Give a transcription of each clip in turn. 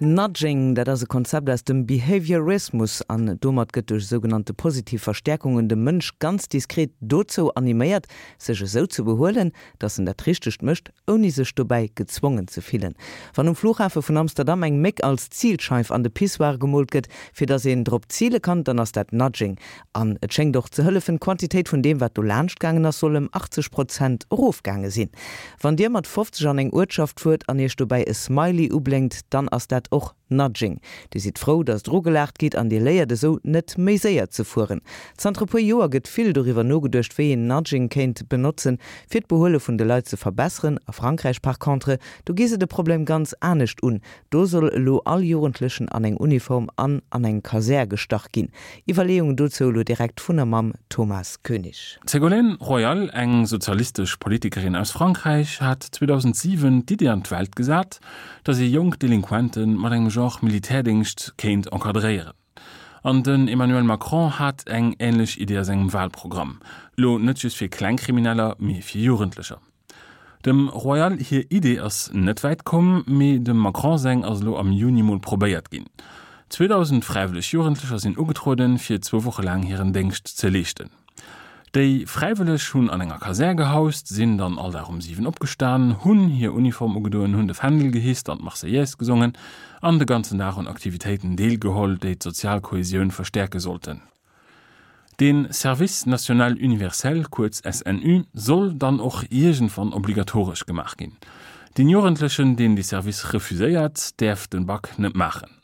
Nudging, dat ass e Konzept aus dem Behaviorismus an domat gëtt duerch sougenannte positiv Verstäerkungen de Mënsch ganz diskret dozou animéiert, sech esou ze behuelen, dass en dat Richtegt mécht, ouni sech dobäi gezwongen ze fillen. Wann um Flughafe vun Amsterdam eng Méck als Zilscheif an de Pissoir gemoolt gëtt, fir dass een drop zile kann, dann ass dat Nudging. An et schéngt och ze hëllefen, d'Quantitéit vun deem, wat do laanscht gaangen ass, soll ëm 80 Prozent erofgaange sinn. Wann Dir mat 50 an eng Uertschaft fuert an Iech dobäi e Smiley ublénkt, dann ass dat och Nudging. Dir sidd frou, datt der ugelaacht gitt an Dir léiert esou, net méi séier ze fueren. Zanter e puer Joer gëtt vill doriwwer nogeduecht, wéi een Nudging kéint benotzen, fir d'Behuele vun de Leit ze verbesseren. A Frankräich par contre, do gi se de Problem ganz anescht un. Do soll elo all Jugendlechen an eng Uniform an an eng Kasär gestach ginn. Iwwerleeungen dozou elo direkt vun a mam Thomas Koenig. D'Ségolène Royal, eng sozialistesch Politikerin aus Frankräich, hat 2007 d'Idee an d'Welt gesat, datt ee jonk Delinquente mat engem Genre Militärdéngscht kéint encadréieren. An den Emmanuel Macron hat eng änlech Idee a sengem Walprogramm, lo net just fir kleng Krimineller, mee fir Jugendlecher. Dem Royal hir Idee ass net wäit komm, mee dem Macron seng ass elo am Juni mol probéiert ginn. 2.000 fräiwëlleg Jugendlecher sinn ugetrueden, fir zwou Woche laang hiren Déngscht ze leeschten. Déi Fräiwëlleg hunn an enger Kasär gehaust, sinn dann all Dag um 7 opgestan, hunn hir Uniform ugedoen, hunn de Fändel gehisst an d'Marseillaise gesongen an de ganzen Dag un Aktivitéiten deelgeholl, déi d'sozial Kohesioun verstäerke sollten. De Service national universel, kuerz SNU, soll dann och iergendwann obligatoresch gemaach ginn. Deen Jugendlechen, deen dee Service refuséiert, däerf den Bac net maachen.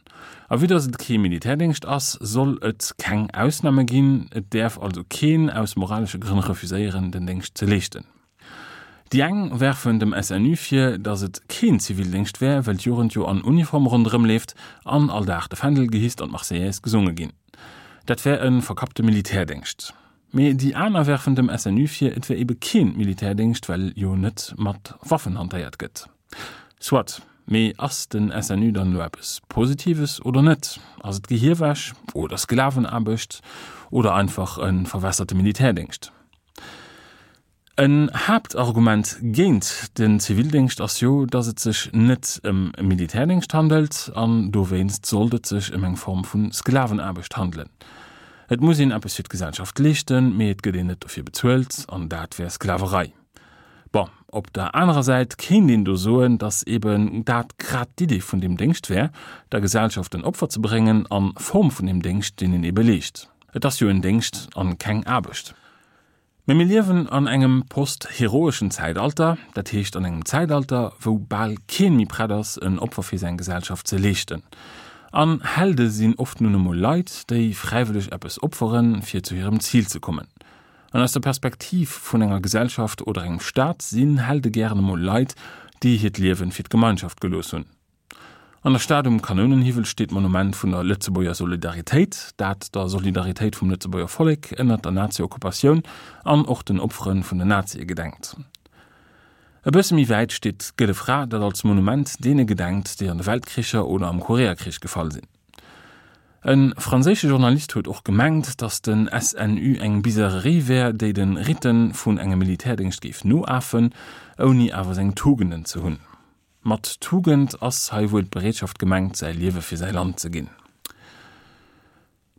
A vue dass et kee Militärdéngscht ass, soll et keng Ausname ginn. Et däerf also keen aus moralesche Grënn refuséieren, den Déngscht ze leeschten. Déi eng werfen dem SNU vir, datt et keen Zivildéngscht wär, well d'Jugend jo an Uniform ronderëm leeft an all Dag de Fändel gehisst an d'Marseillaise gesonge ginn. Dat wär e verkappte Militärdéngscht. Mee déi aner werfen dem SNU vir, et wär ebe keen Militärdéngscht, well jo net mat Waffen hantéiert gëtt. Soit, mee ass den SNU dann elo eppes Positives oder net? Ass et Gehierwäsch oder Sklavenaarbecht oder einfach e verwässerte Militärdéngscht? En Haaptargument géint den Zivildéngscht ass jo, datt et sech net ëm Militärdéngscht handelt an dowéinst sollt et sech ëm eng Form vu Sklavenaarbecht handelen. Et muss een eppes fir d'Gesellschaft leeschten, mee et gëtt een net dofir bezuelt an dat wär Sklaverei. Bon, op der anerer Säit kéint een do soen, datt eben dat grad d'Idee vun deem Déngscht wär, der Gesellschaft en Opfer ze bréngen a Form vun deem Déngscht, deen een ebe leescht. Et ass jo en Déngscht an keng Aarbecht. Mee mir liewen an engem post-heroeschen Zäitalter, dat heescht an engem Zäitalter, wou bal keen méi prett ass, en Opfer fir säin Gesellschaft ze leeschten. An Helde sinn oft nun emol Leit, déi fräiwëlleg eppes opferen, fir zu hirem Zil ze kommen. An aus der Perspektiv vun enger Gesellschaft oder engem Staat sinn Helde gären emol Leit, déi hiert Liewen fir d'Gemeinschaft gelooss hunn. An der Stad um Kanounenhiwwel steet d'Monument vun der Lëtzebuerger Solidaritéit, dat der Solidaritéit vum Lëtzebuerger Vollek ënnert der Nazi-Okkupatioun an och den Opfere vun den Nazie gedenkt. E bësse méi wäit steet d'Gëlle Fra, dat als Monument deene gedenkt, déi an de Weltkricher oder am Koreakrich gefall sinn. E franséische Journalist huet och gemengt, datt den SNU eng Bizarrerie wär, déi de Ritten vun engem Militärdéngscht géif noafen, ouni awer seng Tugenden ze hunn. Mat Tugend ass hei wuel d'Bereetschaft gemengt, säi Liewe fir säi Land ze ginn.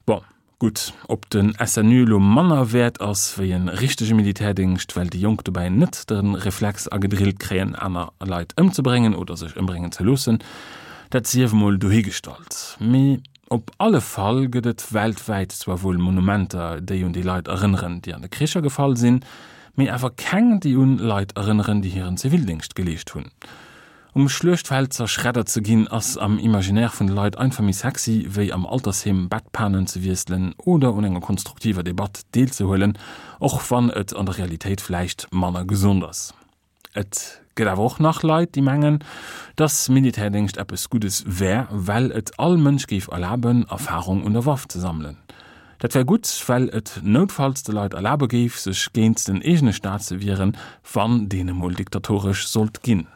Bon, gutt, ob den SNU elo manner wäert ass wéi e richtege Militärdéngscht, well déi Jonk dobäi net de Reflex agedrillt kréien, aner Leit ëmzebréngen oder sech ëmbréngen ze loossen, dat sief emol dohigestallt. Mee Op alle Fall gëtt et weltwäit zwar wuel Monumenter, déi un déi Leit erënneren, déi an de Kricher gefall sinn, mee awer keng, déi un Leit erënneren, déi hiren Zivildéngscht geleescht hunn. Um Schluechtfeld zerschreddert ze ginn, ass am Imaginaire vun de Leit einfach méi sexy, wéi am Altersheem Bettpanen ze wiesselen oder un enger konstruktiver Debatt deelzehuelen, och wann et an der Realitéit vläicht manner gesond ass. Et gëtt awer och nach Leit, déi mengen, dass Militärdéngscht eppes Guddes wär, well et all Mënsch géif erlaben, Erfarung un der Waff ze sammelen. Dat wär gutt, well et noutfalls de Leit erlabe géif, sech géint den eegene Staat ze wieren, wann deen emol diktatoresch sollt ginn.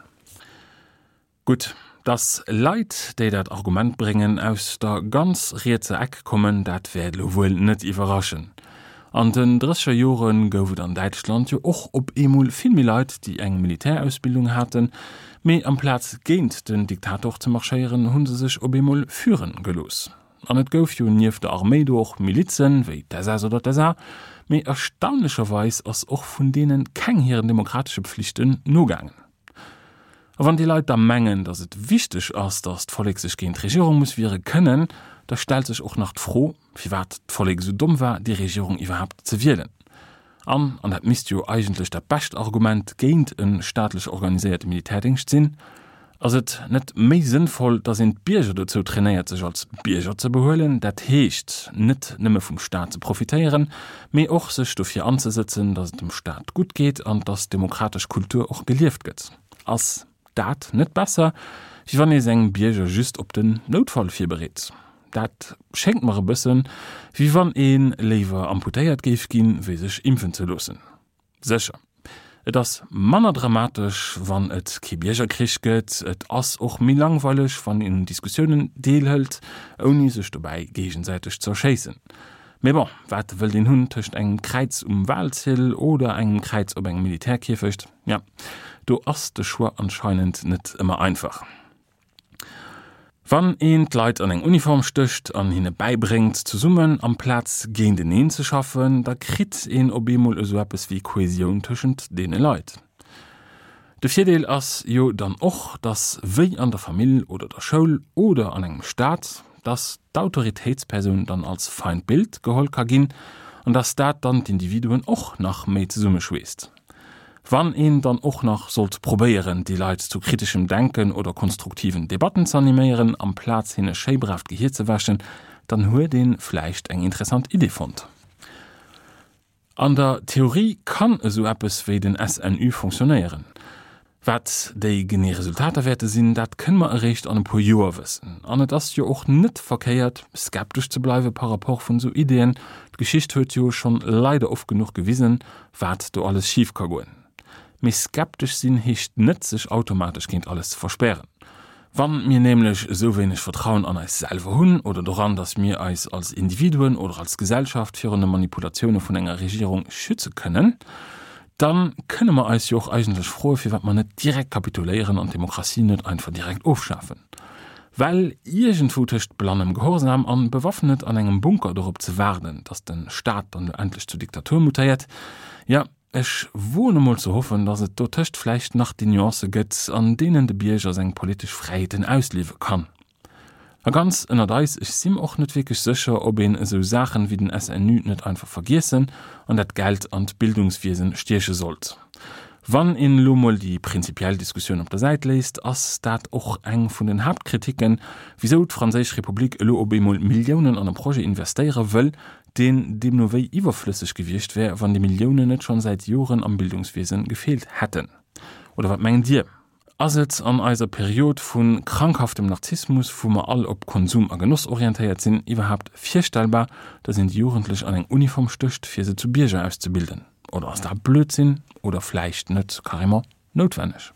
Gutt, dass Leit, déi dat Argument bréngen, aus der ganz rietser Eck kommen, dat wäert elo wuel net iwwerraschen. An den drësseger Jore gouf et an Däitschland jo och op eemol vill méi Leit, déi eng Militärausbildung haten, mee amplaz géint den Diktator ze marschéieren, hu se sech op eemol führen gelooss. An et gouf jo nieft der Arméi do och Milizen, wéi d'SS oder d'SA, mee erstaunlecherweis ass och vun deene keng hiren demokratesche Pflichten nogaangen. A wann déi Leit da mengen, datt et wichteg ass, datt d'Vollek sech géint d'Regierung muss wiere kënnen, da stellt sech och nach d'Fro, firwat d'Vollek esou domm war, déi Regierung iwwerhaapt ze wielen. An, an dat misst jo eigentlech dat bescht Argument géint e staatlech organiséierte Militärdéngscht sinn, ass et net méi sënnvoll, datt een d'Bierger dozou trainéiert, sech als Bierger ze behuelen, dat heescht net nëmme vum Staat ze profitéieren, mee och sech dofir anzesëtzen, datt et dem Staat gutt geet an datt d'demokratesch Kultur och gelieft gëtt? Ass dat net besser, wéi wann ee seng Bierger just op den Noutfall virbereet? Dat schéngt mer e bëssen, wéi wann ee léiwer amputéiert géif ginn, wéi sech impfen ze loossen. Sécher, et ass manner dramatesch, wann et kee Biergerkrich gëtt. Et ass och méi langweileg, wann een un Diskussiounen deelhëlt, ouni sech dobäi géigesäiteg ze erschéissen. Mee bon, wat wëllt een hunn tëscht engem Kräiz um Walziel oder engem Kräiz op engem Militärkierfecht? Ja, do ass de Choix anscheinend net ëmmer einfach. Wann een d'Leit an eng Uniform stécht an hinne bäibréngt, zesummen amplaz géinteneen ze schaffen, da kritt een op eemol esou eppes wéi Kohesioun tëschent deene Leit. De Virdeel ass jo dann och, dass wéi an der Famill oder der Schoul oder an engem Staat, dass d'Autoritéitspersoun dann als Feindbild geholl ka ginn an dass dat dann d'Individuen och nach méi zesummeschweesst. Wann een dann och nach sollt probéieren, déi Leit zu kriteschem Denken oder konstruktiven Debatten ze animéieren, amplaz hinne schéi brav d'Gehier ze wäschen, dann huet ee vläicht eng interessant Idee fonnt. An der Theorie kann esou eppes wéi den SNU fonctionnéieren. Wat déi genee Resultater wäerte sinn, dat kënne mer eréischt an e puer Joer wëssen. An et ass jo och net verkéiert, skeptesch ze bleiwe par rapport vun esou Ideeën. D'Geschicht huet jo schonn leider oft genuch gewisen, wat do alles schif ka goen. Mee skeptesch sinn heescht net, sech automatesch géint alles ze verspären. Wann mir nämlech esou wéineg Vertrauen an eis selwer hunn oder doran, dass mir eis als Individuen oder als Gesellschaft virun de Manipulatioune vun enger Regierung schütze kënnen, dann kënne mer eis jo och eigentlech froe firwat mer net direkt kapituléieren an d'Demokratie net einfach direkt ofschafen. Well iergendwou tëscht blannem Gehorsam an bewaffnet an engem Bunker dorop ze waarden, dass de Staat dann elo endlech zur Diktatur mutéiert, jo, Ech woen emol ze hoffen, datt et dotëscht vläicht nach déi Nuancë gëtt, an deenen de Bierger seng politesch Fräiheeten ausliewe kann. A ganz ënnert eis, ech si mer och net wierklech sécher, ob een esou Saachen wéi den SNU net einfach vergiessen an dat Geld an d'Bildungswiesen stieche sollt. Wann een elo mol déi prinzipiell Diskussioun op der Säit léisst, ass dat och eng vun den Haaptkriticken, wisou d'franséisch Republik elo op eemol Milliounen an e Projet investéiere wëll, deen deemno wéi iwwerflësseg gewiescht wär, wann déi Milliounen net schonn säit Joren am Bildungswiesen gefeelt hätten. Oder wat mengt Dir? Ass et an eiser Period vu krankhaftem Narzissmus, wou mer all op Konsum a Genoss orientéiert sinn, iwwerhaapt virstellbar, datt een déi Jugendlech an eng Uniform stécht, fir se zu Bierger auszebilden? Oder ass dat Blödsinn oder vläicht net carrément noutwenneg?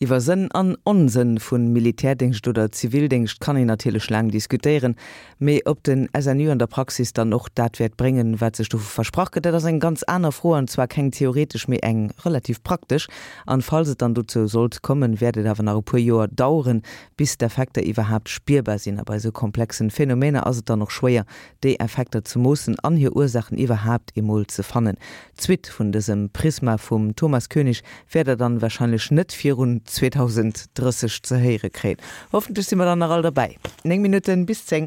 Iwwer Sënn an Onsënn vu Militärdéngscht oder Zivildéngscht kann een natierlech laang diskutéieren, mee ob den SNU an der Praxis dann och dat wäert bréngen, wat sech dovu versprach gëtt, dat ass eng ganz aner Fro, an zwar keng theoretesch, mee eng relativ praktesch. An falls et dann dozou sollt kommen, wäert et awer nach e puer Joer daueren, bis d'Effekter iwwerhaapt spierbar sinn. A bei esou komplexen Phänomener ass et dann och schwéier, déi Effekter ze moossen an hir Ursaachen iwwerhaapt emol ze fannen. D'Suite vun dësem Prisma vum Thomas Koenig wäert der dann wahrscheinlech net virun 2030 ze héiere kréien. Hoffentlech si mer dann nach all derbäi. 9 Minutten bis 10.